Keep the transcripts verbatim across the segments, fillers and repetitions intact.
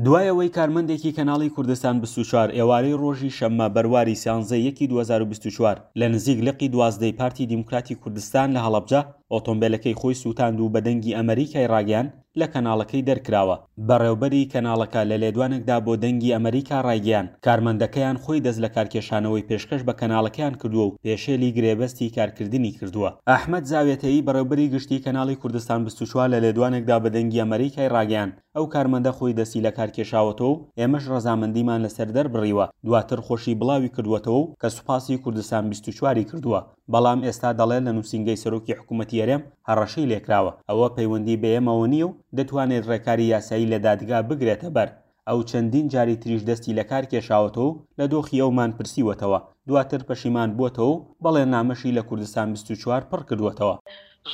دوای ئەوەی کارمەندێکی کەناڵی کوردستان بیست و چوار ئێوارەی ڕۆژی شەممە بەرواری سیانزە یەکی دوو هەزار و بیست و چوار لە نزیک لقی دوازدەی پارتی دیموکراتی کوردستان لە هەڵەبجە ئۆتۆمبیلەکەی خۆی سووتاند و بە دەنگی ئەمریکای ڕاگەیاند لە کەناڵەکەی دەرکراوە. بەڕێوبەری کەناڵەکە لە لێدوانێکدا بۆ دەنگی ئەمریکا ڕایگەیاند کارمەندەکەیان خۆی دەست لە کارکێشانەوەی پێشکەش بە کەناڵەکەیان کردووە و پێشێلی گرێبەستی کارکردنی کردووە. ئەحمەد زاوێتەیی بەڕێوبەری گشتی کەناڵی کوردستان بیست و چوار لە لێدوانێکدا بە دەنگی ئەمریکای ڕاگەیاند ئەو کارمەندە خۆی دەستی لە کارکێشاوەتەوە و ئێمەش ڕەزامەندیمان لەسەر دەربڕیوە، دواتر خۆشی بڵاوی کردووەتەوە و کە سوپاسی کوردستان بیست و چواری کردووە، بەڵام ئێستا دەڵێت لە نووسینگەی سەرۆکی حکوومەتی هەرێم هەڕەشەی لێکراوە، ئەوە پەیوەندی بە ئێمەوە نییە و دەتوانێت ڕێکاری یاسایی لە دادگا بگرێتە بەر. ئەو چەندین جاری تریش دەستی لە کار کێشاوەتەوە و لە دۆخی ئەومان پرسیوەتەوە، دواتر پەشیمان بووەتەوە و بەڵێننامەشی لە کوردستان بیست و چوار پڕ کردووەتەوە.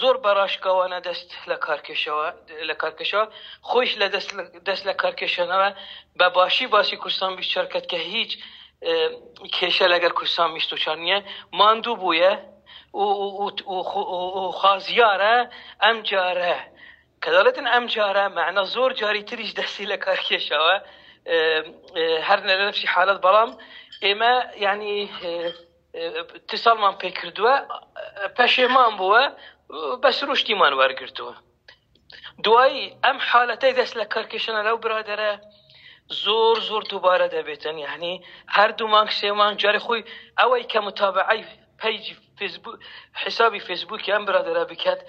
زۆر بەڕاشکاوانە دەست لە کارکێشەوە لە کارکێشەوە خۆیش لە دەست دەست لە کارکێشانەوە بە باشی باسی کوردستان بیست و چوار کرد کە هیچ کێشە لەگەڵ کوردستان بیست و چوار نییە، ماندوو بوویە و خوازیارە ئەم جارە کە دەڵێتن ئەم جارە مەعنا زۆر جاری تریش دەستی لە کارکێشەوە هەر لە نەفسی حالەت، بەڵام ئێمە یعنی اتصالمان پێ کردووە، پەشێمان بووە، بە سروشتیمان وەرگرتووە. دوایی ئەم حالەتەی دەست لە کارکێشانە لەو برادەرە زۆر زۆر دووبارە دەبێتن، یعنی هەر دوو مانگ سێ مانگ جارێ خۆی ئەوەی کە متابعەی پەیجی فەیسبوک حسابی فەیسبووکی ئەم برادەرە بکات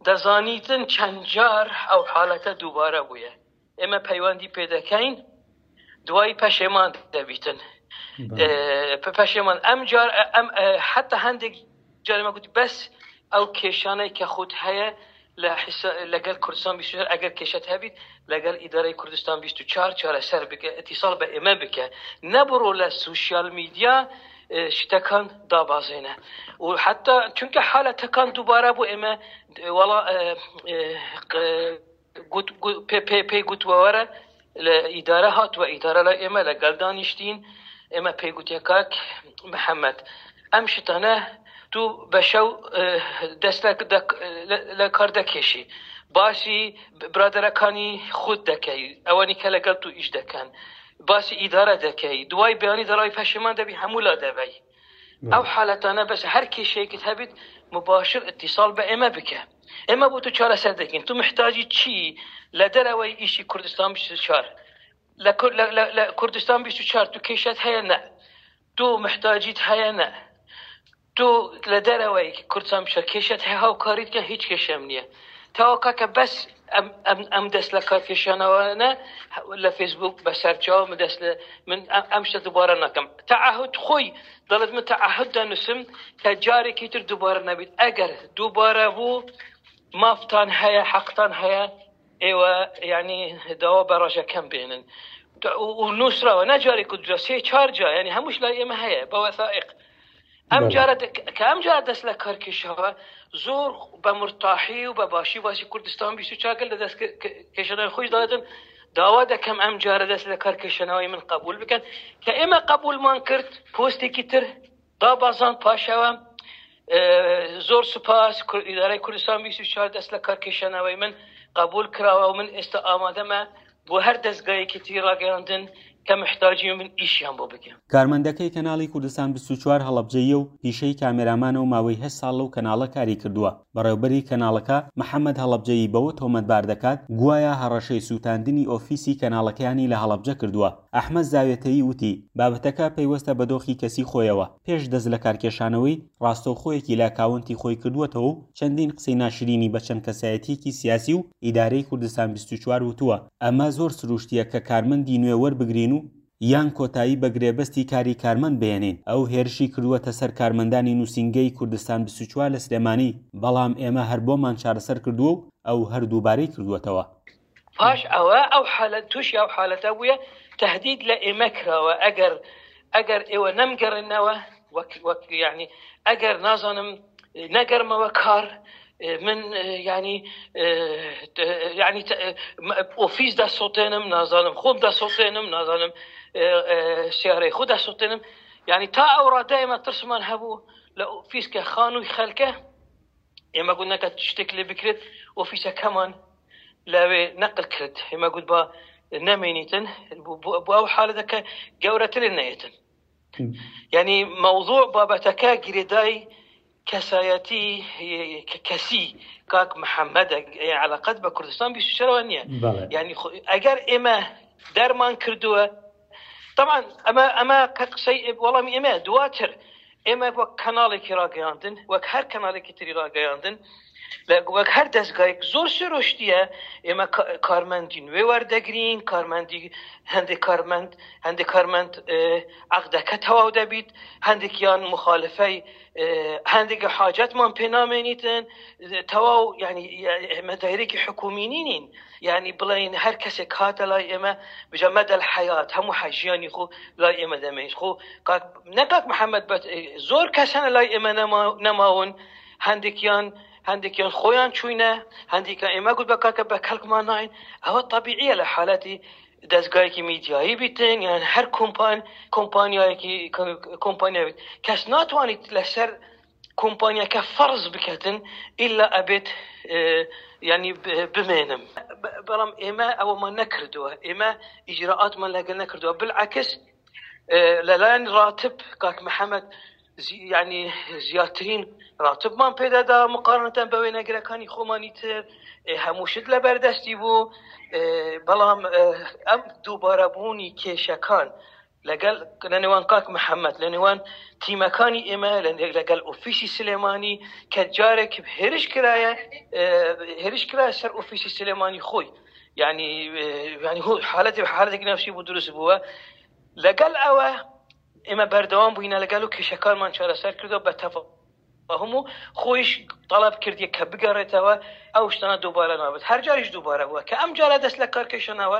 دەزانیتن چەند جار ئەو حالەتە دووبارە بوویە. ئێمە پەیوەندی پێ دەکەین، دوایی پەشێمان دەبیتن پەشێمان ئەم جار ئەم حتا هەندێک جارێمە گوتی بەس ئەو کێشانەی کە خۆت هەیە لەگەڵ کوردستان بیست و چوار ئەگەر کێشەت هەبیت لەگەڵ ئیدارەی کوردستان بیست و چوار چارەسەر بکە، اتصال بە ئێمە بکە، نەبڕۆ لە سوسیال میدیا شتەکان دابازێنە و حتا چونکە حالەتەکان دووبارە بۆ ئێمە وەڵا پێی گوتووە وەرە لە ئیدارە هاتووە، ئیدارە لە ئێمە لەگەڵ دانیشتین، ئێمە پێی گوتیە کاک محەممەد ئەم شتانە تو بە شەو دەست لە کار دەکێشی، باسی برادەرەکانی خۆت دەکەی، ئەوانی کە لەگەڵ تو ئیش دەکەن، باسی ئیدارە دەکەی، دوای بەیانی دەڕای پەشیمان دەبی هەموو لا دەبەی. ئەو حالەتانە بەس هەر کێشەیەکت هەبیت مباشر اتصال بە ئێمە بکە، ئێمە بۆ تو چارەسەر دەکەین. تو محتاجی چی لە دەرەوەی ئیشی کوردستان بیست و چوار لە کوردستان بیست و چوار تو کێشەت هەیە؟ نە. تو محتاجیت هەیە؟ نە. تو لە دەرەوەی کوردستان بیست و چوار کێشەت هەیە؟ هاوکاریت کە هیچ کێشەم نییە. تاوا کاکە بەس ئەم دەست لە کارکێشانەوەنە لە فەیسبوک بەسەر چاو من دەست من ئەم شتە دووبارە ناکەم. تەعەهود خۆی دەڵێت من تەعەهود دەنووسم کە جارێکی تر دووبارە نەبیت، ئەگەر دووبارە بوو مافتان هەیە، حەقتان هەیە، ئێوە یعنی داوا بە ڕەژەکەم بێنن. و نووسراوە نە جارێک و دوو سێ چوار جار، یعنی هەمووش لای ئێمە هەیە بە وەثائق. ئەم جارە کە ئەم جارە دەست لە کارکێشەوە زۆر بە مرتاحی و بە باشی باسی کوردستان بیست و چوار لە دەست کێشانەوەی خۆش دەڵێتن داوا دەکەم ئەم جارە دەست لە کارکێشانەوەی من قبول بکەن، کە ئێمە قبولمان کرد پۆستێکی تر دابازان پاشەوە زۆر سوپاس ئیدارەی کوردستان بیست و چوار دەست لە کارکێشانەوەی من قبول کراوە و من ئێستا ئامادەمە بۆ هەر دەستگایەکی تری ڕاگەیاندن کە محتاجی من ئیشیان بۆ بکەم. کارمەندەکەی کەناڵی کوردستان بیست و چوار هەڵەبجەیە و پیشەی کامێرامانە و ماوەی هەشت ساڵ لەو کەناڵە کاری کردووە. بەڕێوبەری کەناڵەکە محەممەد هەڵەبجەیی بەوە تۆمەتبار دەکات گوایە هەڕەشەی سووتاندنی ئۆفیسی کەناڵەکەیانی لە هەڵەبجە کردووە. ئەحمەد زاوێتەیی وتی بابەتەکە پەیوەستە بە دۆخی کەسی خۆیەوە، پێش دەست لە کارکێشانەوەی ڕاستەوخۆیەکی لە ئەکاونتی خۆی کردووەتەوە و چەندین قسەی ناشرینی بە چەند کەسایەتیەکی سیاسی و ئیدارەی کوردستان بیست و چوار وتووە. ئەمە زۆر سروشتیە کە کارمەندی نوێ وەربگرین و یان کۆتایی بە گرێبەستی کاری کارمەند بێنین. ئەو هێرشی کردووەتە سەر کارمەندانی نووسینگەی کوردستان بیست و چوار لە سلێمانی، بەڵام ئێمە هەر بۆمان چارەسەر کردووە و ئەو هەر دووبارەی کردووەتەوە. پاش ئەوە ئەو حالەت تووشی ئەو حالەتە بووە تهدید لە ئێمە کراوە، ئەگەر ئەگەر ئێوە نەمگەڕێنەوە وەک وەک یعنی ئەگەر نازانم نەگەرمەوە کار من یعنی یعنی ئۆفیس دەسوتێنم، نازانم خۆم دەسوتێنم، نازانم سیارەی خۆ دەسوتێنم. یعنی تا ئەو ڕادە ئێمە ترسمان هەبوو لە ئۆفیس کە خانووی خەلکە، ئێمە گوت نەکە شتێک لێ بکرێت ئۆفیسەکەمان لەوێ نەقل کرد. ئێمە گوت با نەمێنیتن بۆ ئەو حالەتەکە گەورەتر نەیەتن. یعنی مەوزوع بابەتەکە گرێدای کەسایەتی کەسی کاک محەممەدە، علاقەت بە کوردستان بیست و چوارەوە نییە. یعنی ئەگەر ئێمە دەرمان کردووە، طبعا ئەمە ئەمە قسەی وەڵامی ئێمە دواتر ئێمە وەک کەناڵێکی ڕاگەیاندن، وەک هەر کەناڵێکی تری ڕاگەیاندن، وەک هەر دەستگایەک زۆر سروشتیە ئێمە کارمەندی نوێ وەردەگرین، کارمەندی هەندێک کارمەند هەندێک کارمەند عەقدەکە تەواو دەبیت، هەندێکیان مخالفەی هەندێک حاجەتمان پێ نامێنیتن تەواو. یعنی ئێمە دایرێکی حکومی نین، یعنی بڵێن هەر کەسێک هاتە لای ئێمە بجە مەدەل حەیات هەموو ژیانی خۆ لای ئێمە دەمێنیت. خۆ نەکاک محەممەد بەت زۆر کەسانە لای ئێمە نەماون، هەندێکیان هەندێکیان خۆیان چوینە، هەندێکیان ئێمە گوت بە کاکە بە کەڵکمان ناین. ئەوە طبیعیە لە حالەتی دەستگایەکی میدیایی بیتن یان هەر کۆمپان کۆمپانیایەکی کۆمپانیا بیت، کەس ناتوانیت لەسەر کۆمپانیاکە فەرز بکەتن ئیلا ئەبێت یعنی بمێنم. بەڵام ئێمە ئەوەمان نەکردووە، ئێمە ئیجراعاتمان لەگەڵ نەکردووە. بالعکس لەلایەن ڕاتب کاک محەممەد یعنی زیاترین ڕاتبمان پێدادا مقارنەتەن بە وێنەگرەکانی خۆمانی تر، هەموو شت لە بەردەستی بوو. بەڵام ئەم دووبارەبوونی کێشەکان لەگەڵ لە نێوان کاک محەممەد، لە نێوان تیمەکانی ئێمە، لەگەڵ ئۆفیسی سلێمانی کە جارێک هێرش کرایە هێرش کرایە سەر ئۆفیسی سلێمانی خۆی، یعنی یعنی حالەتی حالەتێکی نەفسی بوو دروست بووە. لەگەڵ ئەوە ئێمە بەردەوام بووینە لەگەڵ و کێشەکانمان چارەسەر کردەوە بە تەفاهم و خۆیش تەڵەب کردیە کە بگەڕێتەوە ئەو شتانە دووبارە نابێت. هەر جاریش دووبارە بووە کە ئەم جارە دەست لە کارکێشانەوە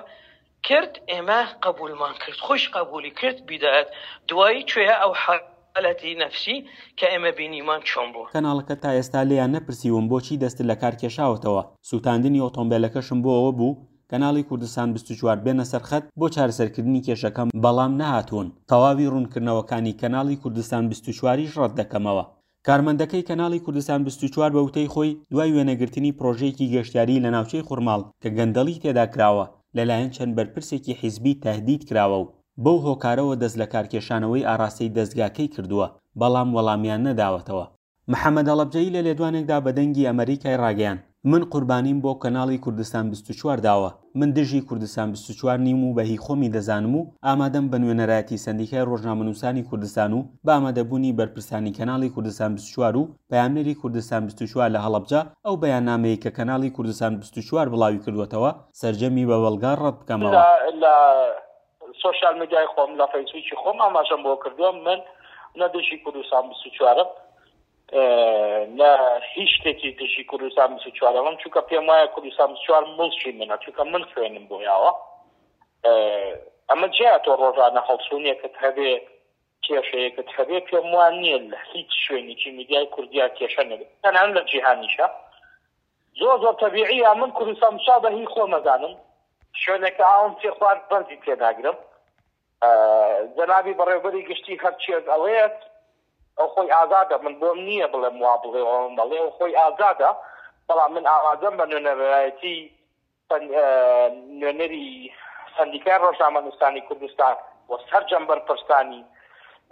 کرد، ئێمە قبولمان کرد، خۆش قبولی کرد بیدایەت. دوایی کوێیە ئەو حالەتی نەفسی کە ئێمە بینیمان چۆن بوو. کەناڵەکە تا ئێستا لێیان نەپرسیوم بۆچی دەست لە کار کێشاوەتەوە. سووتاندنی ئۆتۆمبیلەکەشم بۆ ئەوە بوو کەناڵی کوردستان بیست و چوار بێنە سەرخەت بۆ چارەسەرکردنی کێشەکەم، بەڵام نەهاتوون. تەواوی ڕوونکردنەوەکانی کەناڵی کوردستان بیست و چواریش ڕەت دەکەمەوە. کارمەندەکەی کەناڵی کوردستان بیست و چوار بە وتەی خۆی دوای وێنەگرتنی پرۆژەیەکی گەشتیاری لە ناوچەی خورماڵ کە گەندەڵی تێدا کراوە لەلایەن چەند بەرپرسێکی حیزبی تەهدید کراوە و بەو هۆکارەوە دەست لە کارکێشانەوەی ئاراستەی دەستگاکەی کردووە، بەڵام وەڵامیان نەداوەتەوە. محەممەد هەڵەبجەیی لە لێدوانێکدا بە دەنگی ئەمریکای ڕاگەیان من قوربانیم بۆ کەناڵی کوردستان بیست و چوار داوە، من دژی کوردستان بیست و چوار نیم و بە هی خۆمی دەزانم و ئامادەم بە نوێنەرایەتی سەندیکای ڕۆژنامەنووسانی کوردستان و بە ئامادەبوونی بەرپرسانی کەناڵی کوردستان بیست و چوار و پەیامنێری کوردستان بیست و چوار لە هەڵەبجە ئەو بەیاننامەیە کە کەناڵی کوردستان بیست و چوار بڵاوی کردووەتەوە سەرجەمی بە بەڵگا ڕەت بکەمەوە. لە سۆشیال میدیای خۆم لە فەیسبووکی خۆم ئاماژەم بۆ کردووە، من نە دژی کوردستان بیست و چوارم نە هیچ شتێکی دژی کوردستان بیست و چوارم، چونکە پێم وایە کوردستان بیست و چوار مڵکی منە، چونکە من خوێنم بۆ یاوە. ئەمە جیا تۆ ڕۆژانە هەڵسوونێکت هەبێ، کێشەیەکت هەبێ، پێم وان نییە لە هیچ شوێنێکی میدیای کوردیا کێشە نەبێت، تەنانەت لە جیهانیشە. زۆر زۆر تەبیعیە من کوردستان بیست و چوار بە هی خۆمەزانم، شوێنێکە ئاوم تێخوارد بەرزی تێناگرم. جەنابی بەڕێوبەری گشتی هەرچیەک ئەڵێت ئەو خۆی ئازادە، من بۆم نییە بڵێم وا بڵێ ئەوم بڵێ، ئەو خۆی ئازادە، بەڵام من ئامادەم بە نوێنەرایەتی نوێنەری سەندیکای ڕۆژنامەنووسانی کوردستان و سەرجەم بەرپرسانی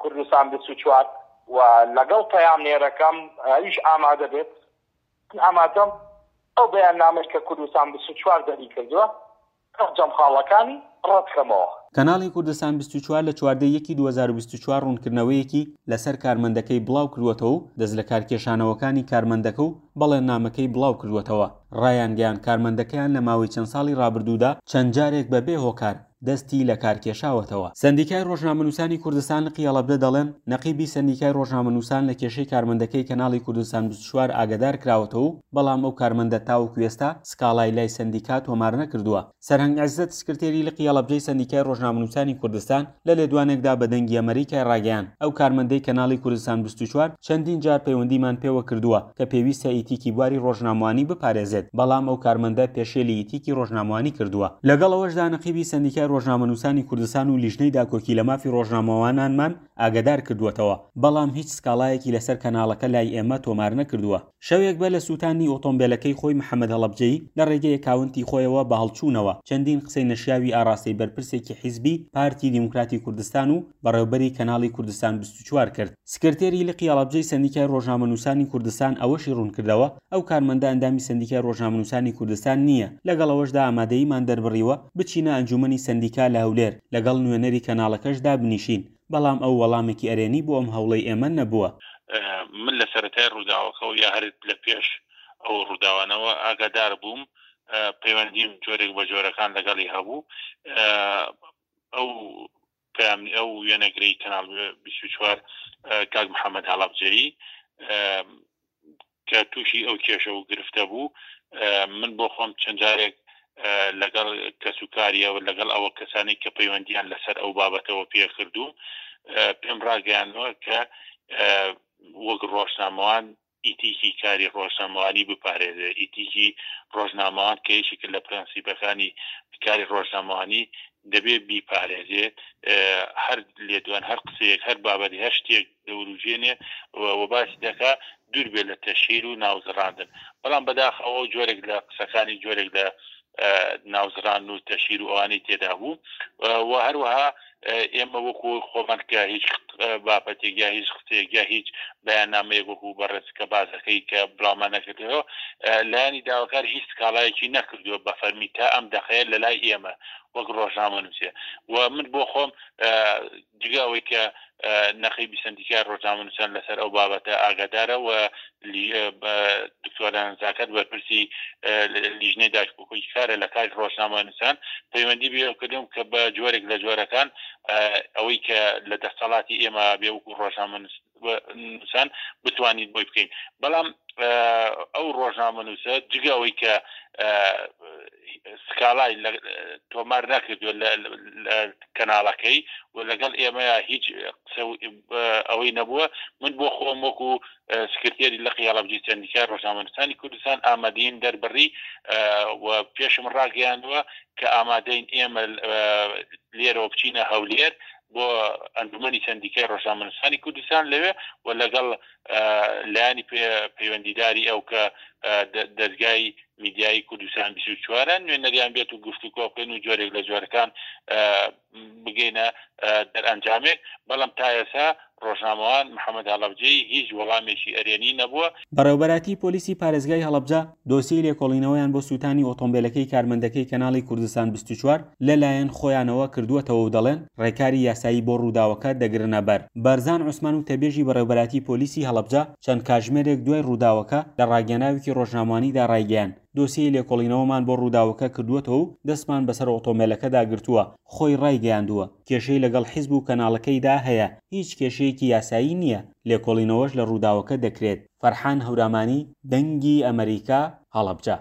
کوردستان بیست و چوار و لەگەڵ پەیامنێرەکەم ئەویش ئامادە بێت، ئامادەم ئەو بەیاننامەی کە کوردستان بیست و چوار دەری کردووە سەرجەم خاڵەکانی ڕەتکەمەوە. کەناڵی کوردستان بیست و چوار لە چواردە یەکی دوو هەزار و بیست و چوار ڕوونکردنەوەیەکی لەسەر کارمەندەکەی بڵاو کردووەتەوە و دەست لە کارکێشانەوەکانی کارمەندەکە و بەڵێننامەکەی بڵاو کردووەتەوە. ڕایانگەیان کارمەندەکەیان لە ماوەی چەند ساڵی ڕابردوودا چەند جارێک بەبێ هۆکار دەستی لە کارکێشاوەتەوە. سەندیکای ڕۆژنامەنووسانی کوردستان لقی هەڵەبجە دەڵێن نەقیبی سەندیکای ڕۆژنامەنووسان لە کێشەی کارمەندەکەی کەناڵی کوردستان بیست و چوار ئاگادار کراوەتەوە و بەڵام ئەو کارمەندە تاوەکو ئێستا سکاڵای لای سەندیکا تۆمار نەکردووە. سەرهەنگ عزەت سکرتێری لقی هەڵەبجەی سەندیکای ڕۆژنامەنووسانی کوردستان لە لێدوانێکدا بە دەنگی ئەمریکای ڕاگەیان ئەو کارمەندەی کەناڵی کوردستان بیست و چوار چەندین جار پەیوەندیمان پێوە کردووە کە پێویستە ئیتیکی بواری ڕۆژنامەوانی بپارێزێت، بەڵام ئەو کارمەندە پێشێلی ئیتیکی ڕۆژنامەوانی کردووە. لەگەڵ ئەوەشدا نەقیبی سەندیکای ڕۆژنامەنووسانی کوردستان و لیژنەی داکۆکی لە مافی ڕۆژنامەوانانمان ئاگادار کردووەتەوە، بەڵام هیچ سکاڵایەکی لەسەر کەناڵەکە لای ئێمە تۆمار نەکردووە. شەوێک بەر لە سووتانی ئۆتۆمبێلەکەی خۆی محەممەد هەڵەبجەیی لە ڕێگەی ئەکاونتی خۆیەوە بە هەڵچوونەوە چەندین قسەی نەشیاوی ئاراستەی بەرپرسێکی حیزبی پارتی دیموکراتی کوردستان و بەڕێوبەری کەناڵی کوردستان بیست و چوار کرد. سکرتێری لقی هەڵەبجەی سەندیکای ڕۆژنامەنووسانی کوردستان ئەوەشی ڕوونکردەوە، ئەو کارمەندە ئەندامی سەندیکای ڕۆژنامەنووسانی کوردستان نییە، لەگەڵ ئەوەشدا ئامادەییمان دەربڕیوە بچینە ئەنجومەنی سەندیکا لە هەولێر لەگەڵ نوێنەری کەناڵەکەش دابنیشین، بەڵام ئەو وەڵامێکی ئەرێنی بۆ ئەم هەوڵەی ئێمە نەبووە. من لە سەرەتای ڕووداوەکەەوە یا هەر لە پێش ئەو ڕووداوانەوە ئاگادار بووم، پەیوەندیم جۆرێک بە جۆرەکان لەگەڵی هەبوو. ئەو پەیامی ئەو وێنەگرەی کەناڵ بیست و چوار کاک محەممەد هەڵەبجەیی کە تووشی ئەو کێشە و گرفتە بوو، من بۆ خۆم چەند جارێک لەگەڵ کەسوکاریەوە لەگەڵ ئەوە کەسانی کە پەیوەندیان لەسەر ئەو بابەتەوە پێکردووم پێم ڕاگەیاندووە کە وەک ڕۆژنامەوان ئیتیکی کاری ڕۆژنامەوانی بپارێزێ. ئیتیکی ڕۆژنامەوان کە یەکێکە لە پرەنسیپەکانی کاری ڕۆژنامەوانی دەبێ بیپارێزێ. هەر لێدوان، هەر قسەیەک، هەر بابەتی، هەر شتێک دەوروژێنێ و باسی دەکا دوور بێت لە تەشهیر و ناوزڕاندن. بەڵام بەداخەوە جۆرێک لە قسەکانی جۆرێک لە ناوزڕان و تەشهیر و ئەوانەی تێدا بوو و هەروەها ئێمە وەکو خۆمان کە هیچ بابەتێک یا هیچ قسەیەک یا هیچ بەیاننامەیەک وەکو بەڕێز کە بازەکەی کە بڵاومان نەکردەوە، لایەنی داواکار هیچ سکاڵایەکی نەکردووە بە فەرمی تا ئەم دەقەیە لە لای ئێمە وەک ڕۆژنامەنووسێ. و من بۆ خۆم جگە ئەوەی کە نەقیبی سەندیکای ڕۆژنامەنووسان لەسەر ئەو بابەتە ئاگادارە و دکتۆران زاکات بەرپرسی لیژنەی داکۆکی کارە لە کاری ڕۆژنامەنووسان پەیوەندی بێکردم کە بە جۆرێک لە جۆرەکان ئەوەی کە لە دەسەڵاتی ئێمە بێ وەکو ڕۆژنامەنووسان بتوانین بۆی بکەین. بەڵام ئەو ڕۆژنامەنووسە جگە ئەوەی کە سکاڵای تۆمار نەکردووە لە کەناڵەکەی و لەگەڵ ئێمە هیچ ئەوەی نەبووە، من بۆ خۆم وەکو سکرتێری لقی هەڵەبجەی سەندیکای ڕۆژنامەنووسانی کوردستان ئامادەین دەربڕی و پێشم ڕاگەیاندووە کە ئامادەین ئێمە لێرەوە بچینە هەولێر بۆ ئەنجومەنی سەندیکای ڕۆژنامەنووسانی کوردستان لەوێ و لەگەڵ لایەنی پەیوەندیداری ئەو کە دەستگای میدیایی کوردستان بیست و چوارە نوێنەریان بێت و گفتوگۆ بکەین و جۆرێک لە جۆرەکان بگەینە دەرئەنجامێک. بەڵام تا ئێستا ڕۆژنامەوان محەممەد هەڵەبجەیی هیچ وەڵامێکی ئەرێنی نەبووە. بەڕێوبەرایەتی پۆلیسی پارێزگای هەڵەبجە دۆسیەی لێکۆڵینەوەیان بۆ سووتانی ئۆتۆمبیلەکەی کارمەندەکەی کەناڵی کوردستان بیست و چوار لەلایەن خۆیانەوە کردووەتەوە و دەڵێن ڕێکاری یاسایی بۆ ڕووداوەکە دەگرنە بەر. بەرزان عوسمان و تەبێژی بەڕێوبەرایەتی پۆلیسی هەڵەبجە چەند کاژمێرێک دوای ڕووداوەکە لە ڕاگەیەنراوێکی ڕۆژنامەوانیدا ڕایگەیاند دۆسیەی لێکۆڵینەوەمان بۆ ڕووداوەکە کردووەتەوە و دەستمان بەسەر ئۆتۆمبیلەکەدا گرتووە. خۆی ڕایگەیاندووە کێشەی لەگەڵ حیزب و کەناڵەکەیدا هەیە، هیچ کێشەیەکی یاسایی نییە، لێکۆڵینەوەش لە ڕووداوەکە دەکرێت. فەرحان هەورامانی، دەنگی ئەمریکا، هەڵەبجە.